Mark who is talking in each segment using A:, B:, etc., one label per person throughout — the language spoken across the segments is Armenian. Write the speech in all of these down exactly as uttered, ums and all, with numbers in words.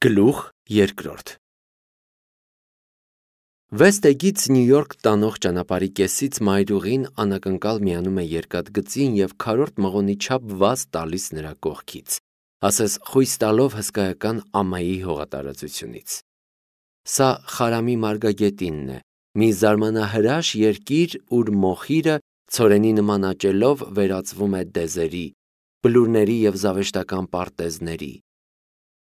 A: Գլուխ երկրորդ Վեսթեգից Նյու Յորք տանող ճանապարհի կեսից մայրուղին անակնկալ միանում է երկաթգծին և քառորդ մղոնի չափ վազ տալիս նրա կողքից, ասես խույս տալով հսկայական ամայի հողատարածությունից։ Սա Խարամի մարգագետինն է, մի զարմանահրաշ երկիր, ուր մոխիրը ցորենի նման աճելով վերածվում է դեզերի, բլուրների և զավեշտական պարտեզների։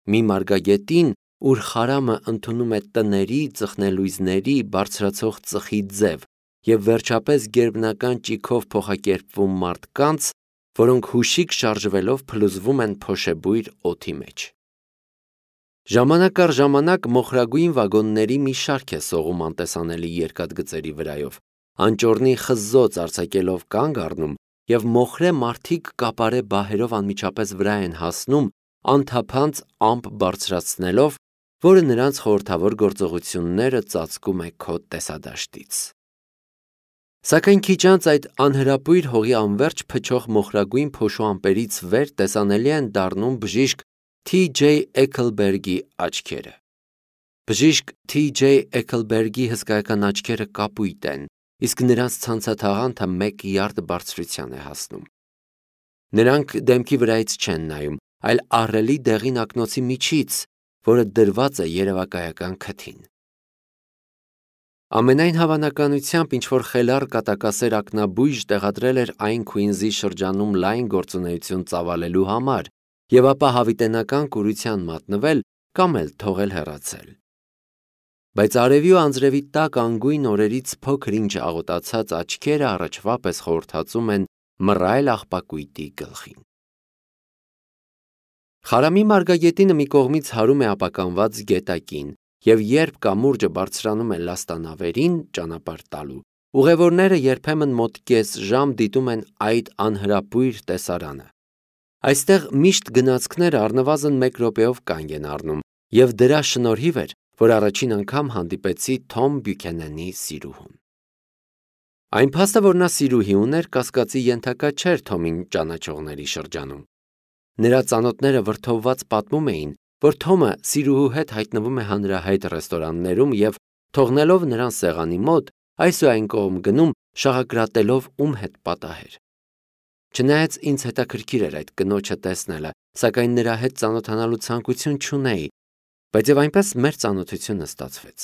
A: Մի մարգագետին, ուր Խարամը ընդունում է տների, ծխնելույզների, բարձրացող ծխի ձև և վերջապես գերբնական ճիգով փոխակերպվում մարդկանց, որոնք հուշիկ շարժվելով փլուզվում են փոշեբույր օդի մեջ։ Ժամանակ առ ժամանակ մոխրագույն վագոնների մի շարք է սողում անտեսանելի երկաթգծերի վրայով, անճոռնի խզզոց արձակելով կանգ առնում և մոխրե մարդիկ կապարե բահերով անմիջապես վրա են հասնում, անթափանց ամպ բարձրացնելով, որը նրանց խորհրդավոր գործողությունները ծածկում է քո տեսադաշտից։ Սակայն քիչ անց այդ անհրապույր հողի անվերջ փչող մոխրագույն փոշու ամպերից վեր տեսանելի են դառնում բժիշկ Թի Ջեյ Էքլբերգի աչքերը։ Բժիշկ Թի Ջեյ Էքլբերգի հսկայական աչքերը կապույտ են, իսկ նրանց ցանցաթաղանթը մեկ յարդ բարձրության է հասնում։ Նրանք դեմքի վրայից չեն նայում, այլ ահռելի դեղին ակնոցի միջից, որը դրված է երևակայական քթին։ Ամենայն հավանականությամբ ինչ-որ խելառ կատակասեր ակնաբույժ տեղադրել էր այն Քուինզի շրջանում լայն գործունեություն ծավալելու համար և ապա հավիտենական կուրության մատնվել կամ էլ թողել հեռացել։ Բայց արևի ու անձրևի տաք անգույն օրերից փոքր-ինչ աղոտացած աչքերը առաջվա պես խորհրդածում են մռայլ աղբակույտի գլխին։ Խարամի մարգագետինը մի կողմից հարում է ապականված գետակին, և երբ կամուրջը բարձրանում է լաստանավերին ճանապարհ տալու, ուղևորները երբեմն մոտ կես ժամ դիտում են այդ անհրապույր տեսարանը։ Այստեղ միշտ գնացքները առնվազն մեկ րոպեով կանգ են առնում, և դրա շնորհիվ էր, որ առաջին անգամ հանդիպեցի Թոմ Բյուքենենի սիրուհուն։ Այն փաստը, որ նա սիրուհի ուներ, կասկածի ենթակա չէր Թոմին ճանաչողների շրջանում։ Նրա ծանոթները վրդովված պատմում էին, որ Թոմը սիրուհու հետ հայտնվում է հանրահայտ ռեստորաններում և, թողնելով նրան սեղանի մոտ, այս ու այն կողմ գնում, շաղակրատելով ում հետ պատահեր։ Չնայած ինձ հետաքրքիր էր այդ կնոջը տեսնելը, սակայն նրա հետ ծանոթանալու ցանկություն չունեի, բայց և այնպես մեր ծանոթությունը ստացվեց։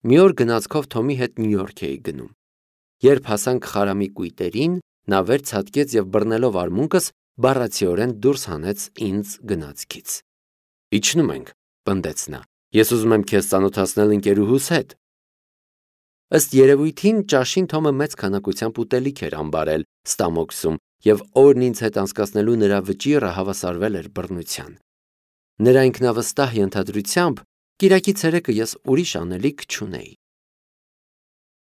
A: Մի օր գնացքով Թոմի հետ Նյու Յորք էի գնում։ Երբ հասանք Խարամի կույտերին, նա վեր ցատկեց և բռնելով արմունկս, բառացիորեն դուրս հանեց ինձ գնացքից։ Իջնում ենք, պնդեց նա, ես ուզում եմ քեզ ծանոթացնել ընկերուհուս հետ։ Ըստ երևույթին ճաշին Թոմը մեծ քանակությամբ ուտելիք էր ամբարել Ստամոքսում, և օրն ինձ հետ անցկացնելու նրա վճիռը հավասարվել էր բռնության։ Նրա ինքնավստահ ենթադրությամբ կիրակի ցերեկը ես ուրիշ անելիք չունեի։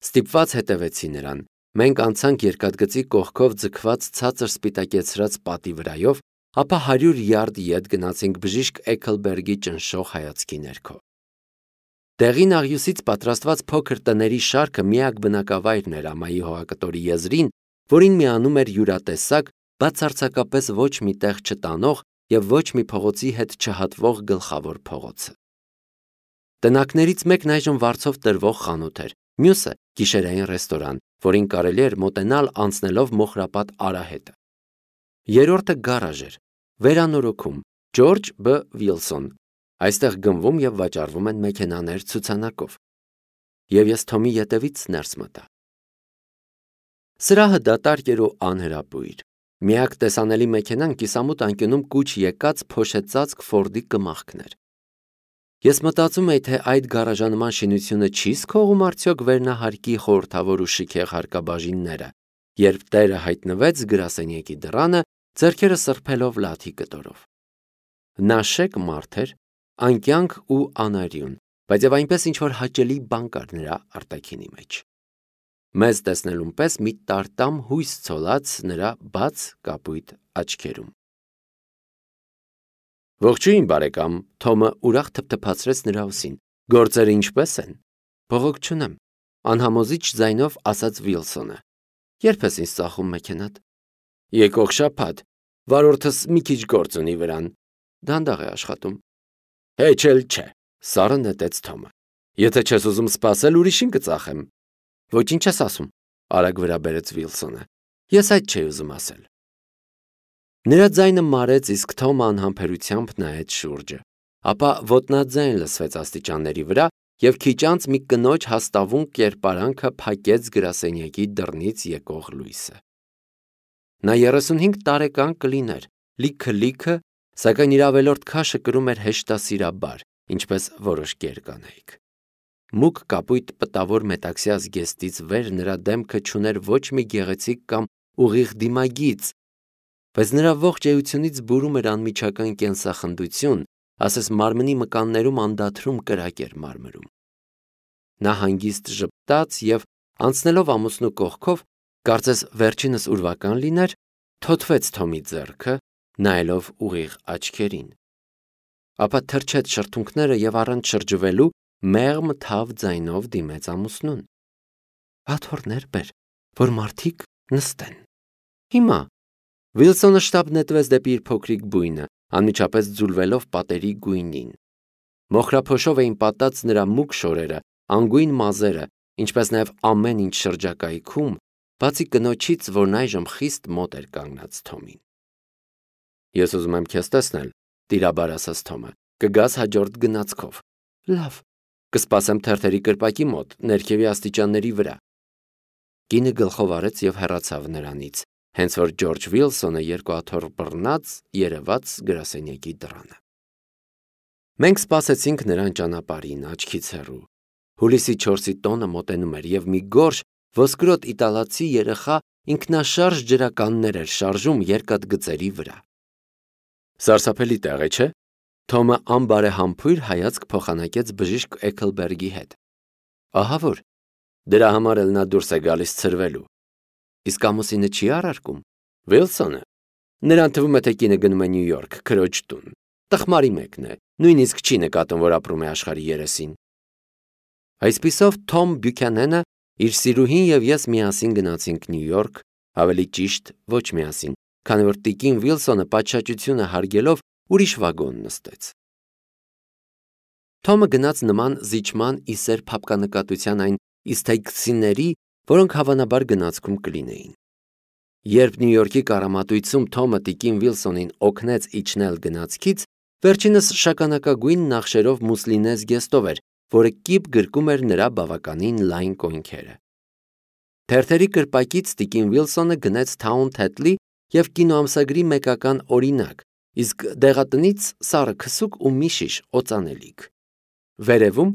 A: Ստիպված հետևեցի նրան։ Մենք անցանք երկաթգծի կողքով ձգված ցածր սպիտակեցրած պատի վրայով, ապա հարյուր յարդ ետ գնացինք բժիշկ Էքլբերգի ճնշող հայացքի ներքո։ Դեղին աղյուսից պատրաստված փոքր տների շարքը միակ բնակավայրն էր ամայի հողակտորի եզրին, որին միանում էր յուրատեսակ, բացարձակապես ոչ մի տեղ չտանող և ոչ մի փողոցի հետ չհատվող գլխավոր փողոցը։ Տնակներից մեկն այժմ վարձով տրվող խանութ էր, մյուսը գիշերային ռեստորան, որին կարելի էր մոտենալ անցնելով մոխրապատ արահետը։ Երրորդը գարաժ էր, վերանորոգում, Ջորջ Բ. Վիլսոն, այստեղ գնվում և վաճառվում են մեքենաներ ցուցանակով։ Եվ ես Թոմի ետևից ներս մտա։ Սրահը դատարկ էր ու անհրապույր։ Միակ տեսանելի մեքենան կիսամութ անկյունում կուչ եկած փոշեցածկ Ֆորդի կմախքն էր։ Ես մտածում էի, թե այդ գարաժանման շինությունը չի՞ սքողում արդյոք վերնահարկի խորհրդավոր ու շքեղ հարկաբաժինները, երբ տերը հայտնվեց գրասենյակի դռանը, ձեռքերը սրբելով լաթի կտորով։ Նա շեկ մարդ էր, անկյանք ու անարյուն, բայց և այնպես ինչ-որ հաճելի բան կար նրա արտաքինի մեջ։ Մեզ տեսնելուն պես մի տարտամ հույս ցոլած նրա բաց կապույտ աչքերում։ Ողջույն, բարեկամ, Թոմը ուրախ թփթփացրեց նրա ուսին, գործերը ինչպե՞ս են։ Բողոք չունեմ, անհամոզիչ ձայնով ասաց Վիլսոնը։ Երբ ես ինձ ծախում մեքենատ։ Եկող շաբաթ, վարորդս մի քիչ գործ ունի վրան, դանդաղ է աշխատում։ Հեչ էլ չէ, սառը նետեց Թոմը։ Եթե չես ուզում սպասել, ուրիշին կծախեմ։ Ոչինչ ես ասում, արագ վրա բերեց Վիլսոնը։ Ես այդ չէի ուզում ասել։ Նրա ձայնը մարեց, իսկ Թոմը անհամբերությամբ նայեց շուրջը։ Ապա ոտնաձայն լսվեց աստիճանների վրա, և քիչ անց մի կնոջ հաստավուն կերպարանքը փակեց գրասենյակի դռնից եկող լույսը։ Նա երեսունհինգ տարեկան կլիներ, լիքը-լիքը, սակայն իր ավելորդ քաշը կրում էր հեշտասիրաբար, ինչպես որոշ կերկանայք։ Մուգ կապույտ պտավոր մետաքսյա զգեստից վեր նրա դեմքը չուներ ոչ մի գեղեցիկ կամ ուղիղ դիմագիծ, բայց նրա ողջ էությունից բուրում էր անմիջական կենսախնդություն, ասես մարմնի մկաններում անդադրում կրակ էր մարմրում։ Նա հանգիստ ժպտաց և, անցնելով ամուսնու կողքով, կարծես վերջինս ուրվական լիներ, թոթվեց Թոմի ձեռքը, նայելով ուղիղ աչքերին։ Ապա թրջեց շրթունքները և առանց շրջվելու մեղմ թավ ձայնով դիմեց ամուսնուն. «Աթոռներ բեր, որ մարդիկ նստեն»։ Հիմա Վիլսոնը շտապ նետվեց դեպի իր փոքրիկ բույնը, անմիջապես ձուլվելով պատերի գույնին։ Մոխրափոշով էին պատած նրա մուգ շորերը, անգույն մազերը, ինչպես նաև ամեն ինչ շրջակայքում, բացի կնոջից, որն այժմ խիստ մոտ էր կանգնած Թոմին։ Ես ուզում եմ քեզ տեսնել, տիրաբար ասաց Թոմը, կգաս հաջորդ գնացքով։ Լավ, կսպասեմ թերթերի կրպակի մոտ, ներքևի աստիճանների վրա։ Կինը գլխով արեց և հեռացավ նրանից, հենց որ Ջորջ Վիլսոնը երկու աթոռ բռնած երևաց գրասենյակի դռանը։ Մենք սպասեցինք նրան ճանապարհին, աչքից հեռու։ Հուլիսի չորսի տոնը մոտենում էր, և մի գորշ ոսկրոտ իտալացի երեխա ինքնաշարժ ջրականներ էր շարժում երկաթգծերի վրա։ Սարսափելի տեղ է, չէ՞։ Թոմը անբարեհամբույր հայացք փոխանակեց բժիշկ Էքլբերգի հետ։ Ահա որ, դրա համար էլ նա դուրս է գալիս ցրվելու։ Իսկ ամուսինը չի առարկում։ Վիլսոնը։ Նրան թվում է, թե կինը գնում է Նյու Յորք, քրոջ տուն։ Տխմարի մեկն է, նույնիսկ չի նկատում, որ ապրում է աշխարհի երեսին։ Այսպիսով Թոմ Բյուքյանենը, իր սիրուհին և ես միասին գնացինք Նյու Յորք, ավելի ճիշտ ոչ միասին, քանի որ տիկին Վիլսոնը պատշաճությունը հարգելով ուրիշ վագոն նստեց։ Թոմը գնաց նման զիջման ի սեր փափկանկատության այն իսթեյքցիների, որոնք հավանաբար գնացքում կլինեին։ Երբ Նյու Յորքի կառամատույցում Թոմը տիկին Վիլսոնին օգնեց իջնել գնացքից, վերջինս շագանակագույն նախշերով մուսլինե զգեստով էր, որը կիպ գրկում էր նրա բավականին լայն կոնքերը։ Թերթերի կրպակից տիկին Վիլսոնը գնեց Թաուն Թեթլի և կինոամսագրի մեկական օրինակ, իսկ դեղատնից սառը քսուկ ու մի շիշ օծանելիք։ Վերևում,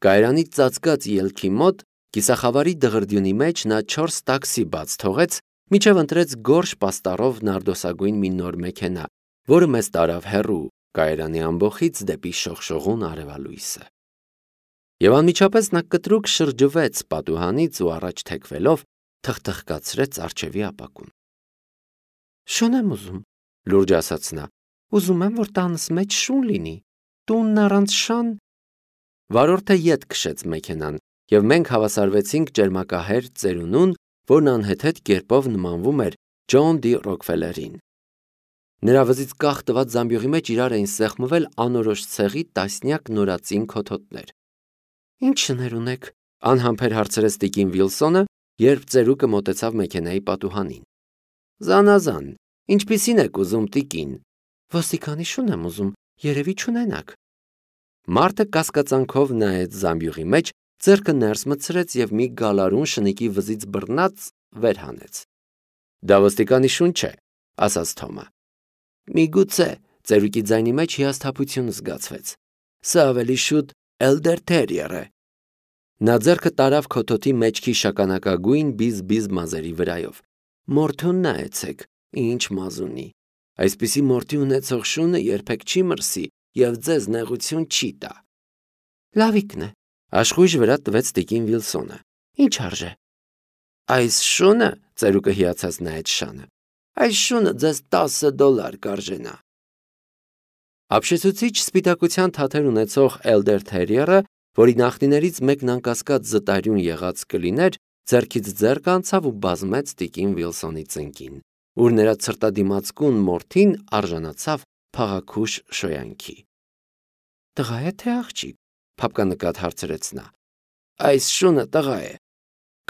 A: կայարանի ծածկած ելքի մոտ, կիսախավարի դղրդյունի մեջ նա չորս տաքսի բաց թողեց, մինչև ընտրեց գորշ պաստառով նարդոսագույն մի նոր մեքենա, որը մեզ տարավ հեռու, կայարանի ամբոխից դեպի շողշողուն արևալույսը։ Եվ անմիջապես նա կտրուկ շրջվեց պատուհանից ու առաջ թեքվելով թխթխկացրեց առջևի ապակուն։ Շուն եմ ուզում, լուրջ ասաց նա, ուզում եմ, որ տանս մեջ շուն լինի, տունն առանց շան։ Վարորդը ետ քշեց մեքենան, և մենք հավասարվեցինք ճերմակահեր ծերունուն, որն անհեթեթ կերպով նմանվում էր Ջոն Դի Ռոքֆելերին։ Նրա վզից կախ տված զամբյուղի մեջ իրար էին սեղմվել անորոշ ցեղի տասնյակ նորածին քոթոթներ։ Ինչ շներ ունեք, անհամբեր հարցրեց տիկին Վիլսոնը, երբ ծերուկը մոտեցավ մեքենայի պատուհանին։ Զանազան, ինչպիսին եք ուզում, տիկին։ Ոստիկանի շուն եմ ուզում, երևի չունենաք։ Մարդը կասկածանքով նայեց զամբյուղի մեջ, ձեռքը ներս մտցրեց և մի գալարուն շնիկի վզից բռնած վեր հանեց։ Դա ոստիկանի շուն չէ, ասաց Թոմը։ Միգուցե, ծերուկի ձայնի մեջ հիասթափություն զգացվեց։ Սա ավելի շուտ Էլդեր Թերիեր է։ Նա ձեռքը տարավ քոթոթի մեջքի շագանակագույն բիզ-բիզ մազերի վրայով։ Մորթուն նայեցեք, ինչ մազ ունի։ Այսպիսի մորթի ունեցող շունը երբեք չի մրսի և ձեզ նեղություն չի տա։ Լավիկն է, աշխույժ վրա տվեց տիկին Վիլսոնը։ Ինչ արժե։ Այս շունը, ծերուկը հիացած նայեց շանը։ Այս շունը ձեզ տասը դոլար կարժենա։ Ապշեցուցիչ սպիտակության թաթեր ունեցող Էլդեր Թերիերը, որի նախնիներից մեկն անկասկած զտարյուն եղած կլիներ, ձեռքից ձեռք անցավ ու բազմեց տիկին Վիլսոնի ծնկին, ուր նրա ցրտադիմացկուն մորթին արժանացավ փաղաքուշ շոյանքի։ Տղա է թե աղջիկ, փափկանկատ հարցրեց նա։ Այս շունը տղա է։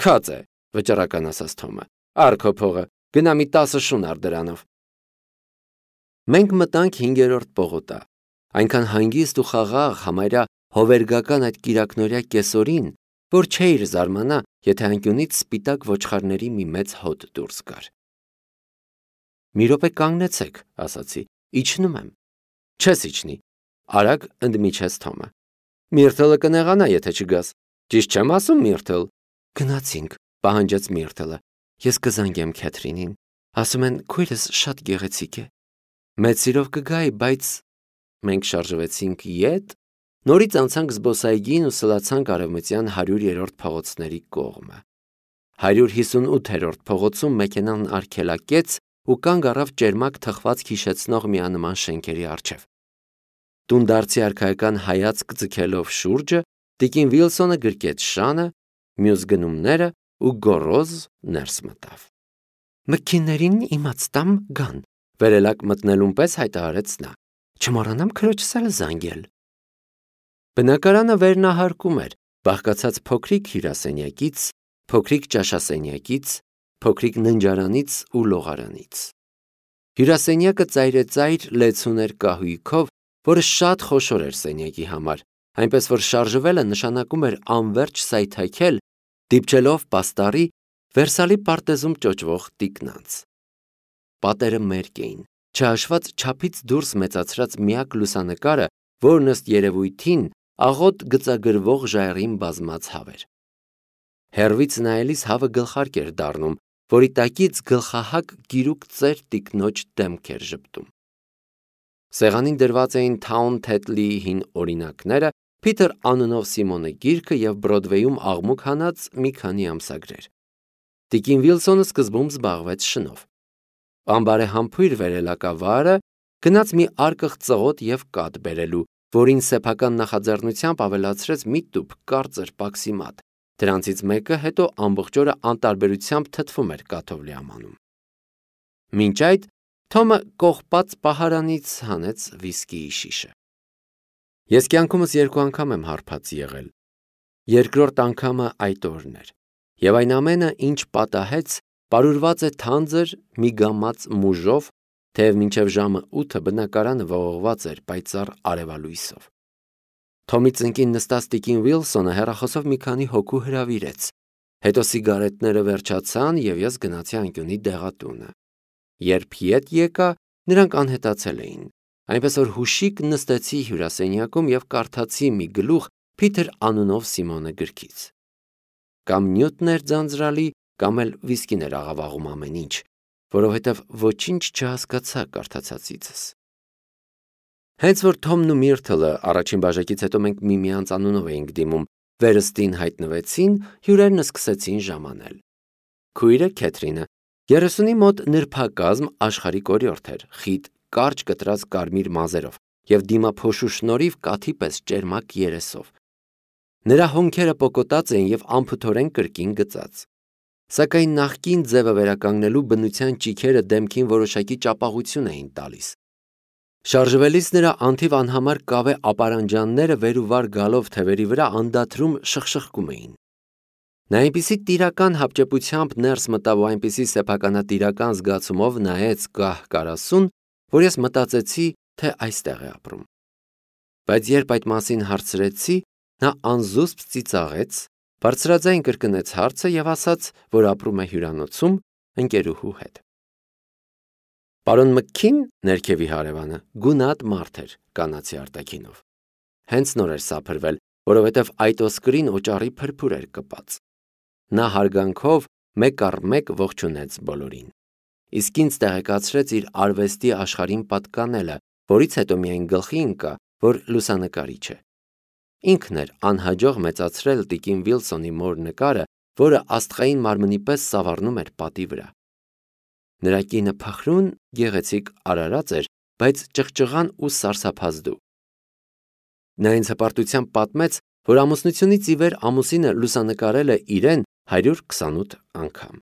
A: Քած է, վճռական ասաց Թոմը։ Առ քո փողը, գնա մի տասը շուն առ դրանով։ Մենք մտանք հինգերորդ պողոտա։ Այնքան հանգիստ ու խաղաղ համարյա հովերգական այդ կիրակնորյա կեսօրին, որ չէիր զարմանա, եթե անկյունից սպիտակ ոչխարների մի մեծ հոտ դուրս գար։ Մի րոպե կանգնեցեք, ասացի, իջնում եմ։ Չես իջնի, արագ ընդմիջեց Թոմը։ Միրթլը կնեղանա, եթե չգաս։ Ճիշտ չեմ ասում, Միրթլ։ Գնացինք, պահանջեց Միրթլը։ Ես կզանգեմ Քեթրինին։ Ասում են, քույրս շատ գեղեցիկ է։ Մեծ սիրով կգայի, բայց մենք շարժվեցինք ետ, նորից անցանք զբոսայգին ու սլացանք արևմտյան հարյուրերորդ փողոցների կողմը։ հարյուր հիսունութերորդ փողոցում մեքենան արգելակեց ու կանգ առավ ճերմակ թխված հիշեցնող միանման շենքերի առջև։ Տունդարձի արքայական հայացք ձգելով շուրջը, տիկին Վիլսոնը գրկեց շանը, մյուս գնումները ու գոռոզ ներս մտավ։ Մքիններին իմացտամ գան, վերելակ մտնելուն պես հայտարարեց նա։ Չմոռանամ քրոջս էլ զանգել։ Բնակարանը վերնահարկում էր, բաղկացած փոքրիկ հյուրասենյակից, փոքրիկ ճաշասենյակից, փոքրիկ ննջարանից ու լողարանից։ Հյուրասենյակը ծայրեծայր լեցուն էր կահույքով, որը շատ խոշոր էր սենյակի համար, այնպես որ շարժվելը նշանակում էր անverջ սայթաքել, դիպչելով պաստառի Վերսալի պարտեզում ճոճվող տիկնանց։ Պատերը մերկ էին, չհաշված չափից դուրս մեծացրած միակ լուսանկարը, որն ըստ երևույթին աղոտ գծագրվող ժայռին բազմած հավ էր։ Հեռվից նայելիս հավը գլխարկ էր դառնում, որի տակից գլխահակ գիրուկ ծեր տիկնոջ դեմք էր ժպտում։ Սեղանին դրված էին Թաուն Թեթլիի հին օրինակները, Փիթեր անունով Սիմոնը գիրքը և Բրոդվեյում աղմուկ հանած մի քանի ամսագրեր։ Տիկին Վիլսոնը սկզբում զբաղվեց շնով։ Անբարեհամբույր վերելակավարը գնաց մի արկղ ծղոտ և կաթ բերելու, որին սեփական նախաձեռնությամբ ավելացրեց մի տուփ կարծր պաքսի մատ, դրանցից մեկը հետո ամբողջ օրը անտարբերությամբ թթվում էր կաթով լիամանում։ Մինչ այդ Թոմը կողպած պահարանից հանեց վիսկիի շիշը։ Ես կյանքումս երկու անգամ եմ հարբած եղել։ Երկրորդ անգամը այդ օրն էր, և այն ամենը, ինչ պատահեց, պարուրված է թանձր մի գամած մուժով, թեև մինչև ժամը ութը բնակարանը ողողված էր պայծառ արևալույսով։ Թոմի ծնկին նստած տիկին Վիլսոնը հեռախոսով մի քանի հոգու հրավիրեց, հետո սիգարետները վերջացան, և ես գնացի անկյունի դեղատունը։ Երբ ետ եկա, նրանք անհետացել էին, այնպես որ հուշիկ նստեցի հյուրասենյակում և կարդացի մի գլուխ Փիթեր անունով Սիմոնը գրքից։ Կամ նյութն էր ձանձրալի, կամ էլ վիսկին էր աղավաղում ամեն ինչ, որովհետև ոչինչ չհասկացա կարդացածիցս։ Հենց որ Թոմն ու Միրթլը առաջին բաժակից հետո մենք միմյանց անունով էինք դիմում, վերստին հայտնվեցին, հյուրերն սկսեցին ժամանել։ Քույրը Քեթրինը երեսունի մոտ նրբակազմ աշխարհիկ օրիորդ էր, խիտ կարճ կտրած կարմիր մազերով և դիմափոշու շնորհիվ կաթի պես ճերմակ երեսով։ Նրա հոնքերը պոկոտած էին և անփթորեն կրկին գծած։ Սակայն նախկին ձևը վերականգնելու բնության ճիգերը դեմքին որոշակի ճապաղություն էին տալիս։ Շարժվելիս նրա անթիվ անհամար կավե ապարանջանները վեր ու վար գալով թևերի վրա անդադրում շխշխկում էին։ Նա այնպիսի տիրական հապճեպությամբ ներս մտավ ու այնպիսի սեփականատիրական զգացումով նայեց կահ-կարասուն, որ ես մտածեցի, թե այստեղ է ապրում։ Բայց երբ այդ մասին հարցրեցի, նա անզուսպ ծիծաղեց, բարձրաձայն կրկնեց հարցը և ասաց, որ ապրում է հյուրանոցում ընկերուհու հետ։ Պարոն Մքքին, ներքևի հարևանը, գունատ մարդ էր, կանացի արտաքինով։ Հենց նոր էր սափրվել, որովհետև այդ ոսկրին օճառի փրփուր էր կպած։ Նա հարգանքով մեկ առ մեկ ողջունեց բոլորին, իսկ ինձ տեղեկացրեց իր արվեստի աշխարհին պատկանելը, որից հետո միայն գլխի ընկա, որ լուսանկարիչ է։ Ինքն էր անհաջող մեծացրել տիկին Վիլսոնի մոր նկարը, որը աստղային մարմնի պես սավառնում էր պատի վրա։ Նրա կինը փխրուն, գեղեցիկ արարած էր, բայց ճղճղան ու սարսափազդու։ Նա ինձ հպարտությամբ պատմեց, որ ամուսնությունից ի վեր ամուսինը լուսանկարել է իրեն հարյուր քսանութ անգամ։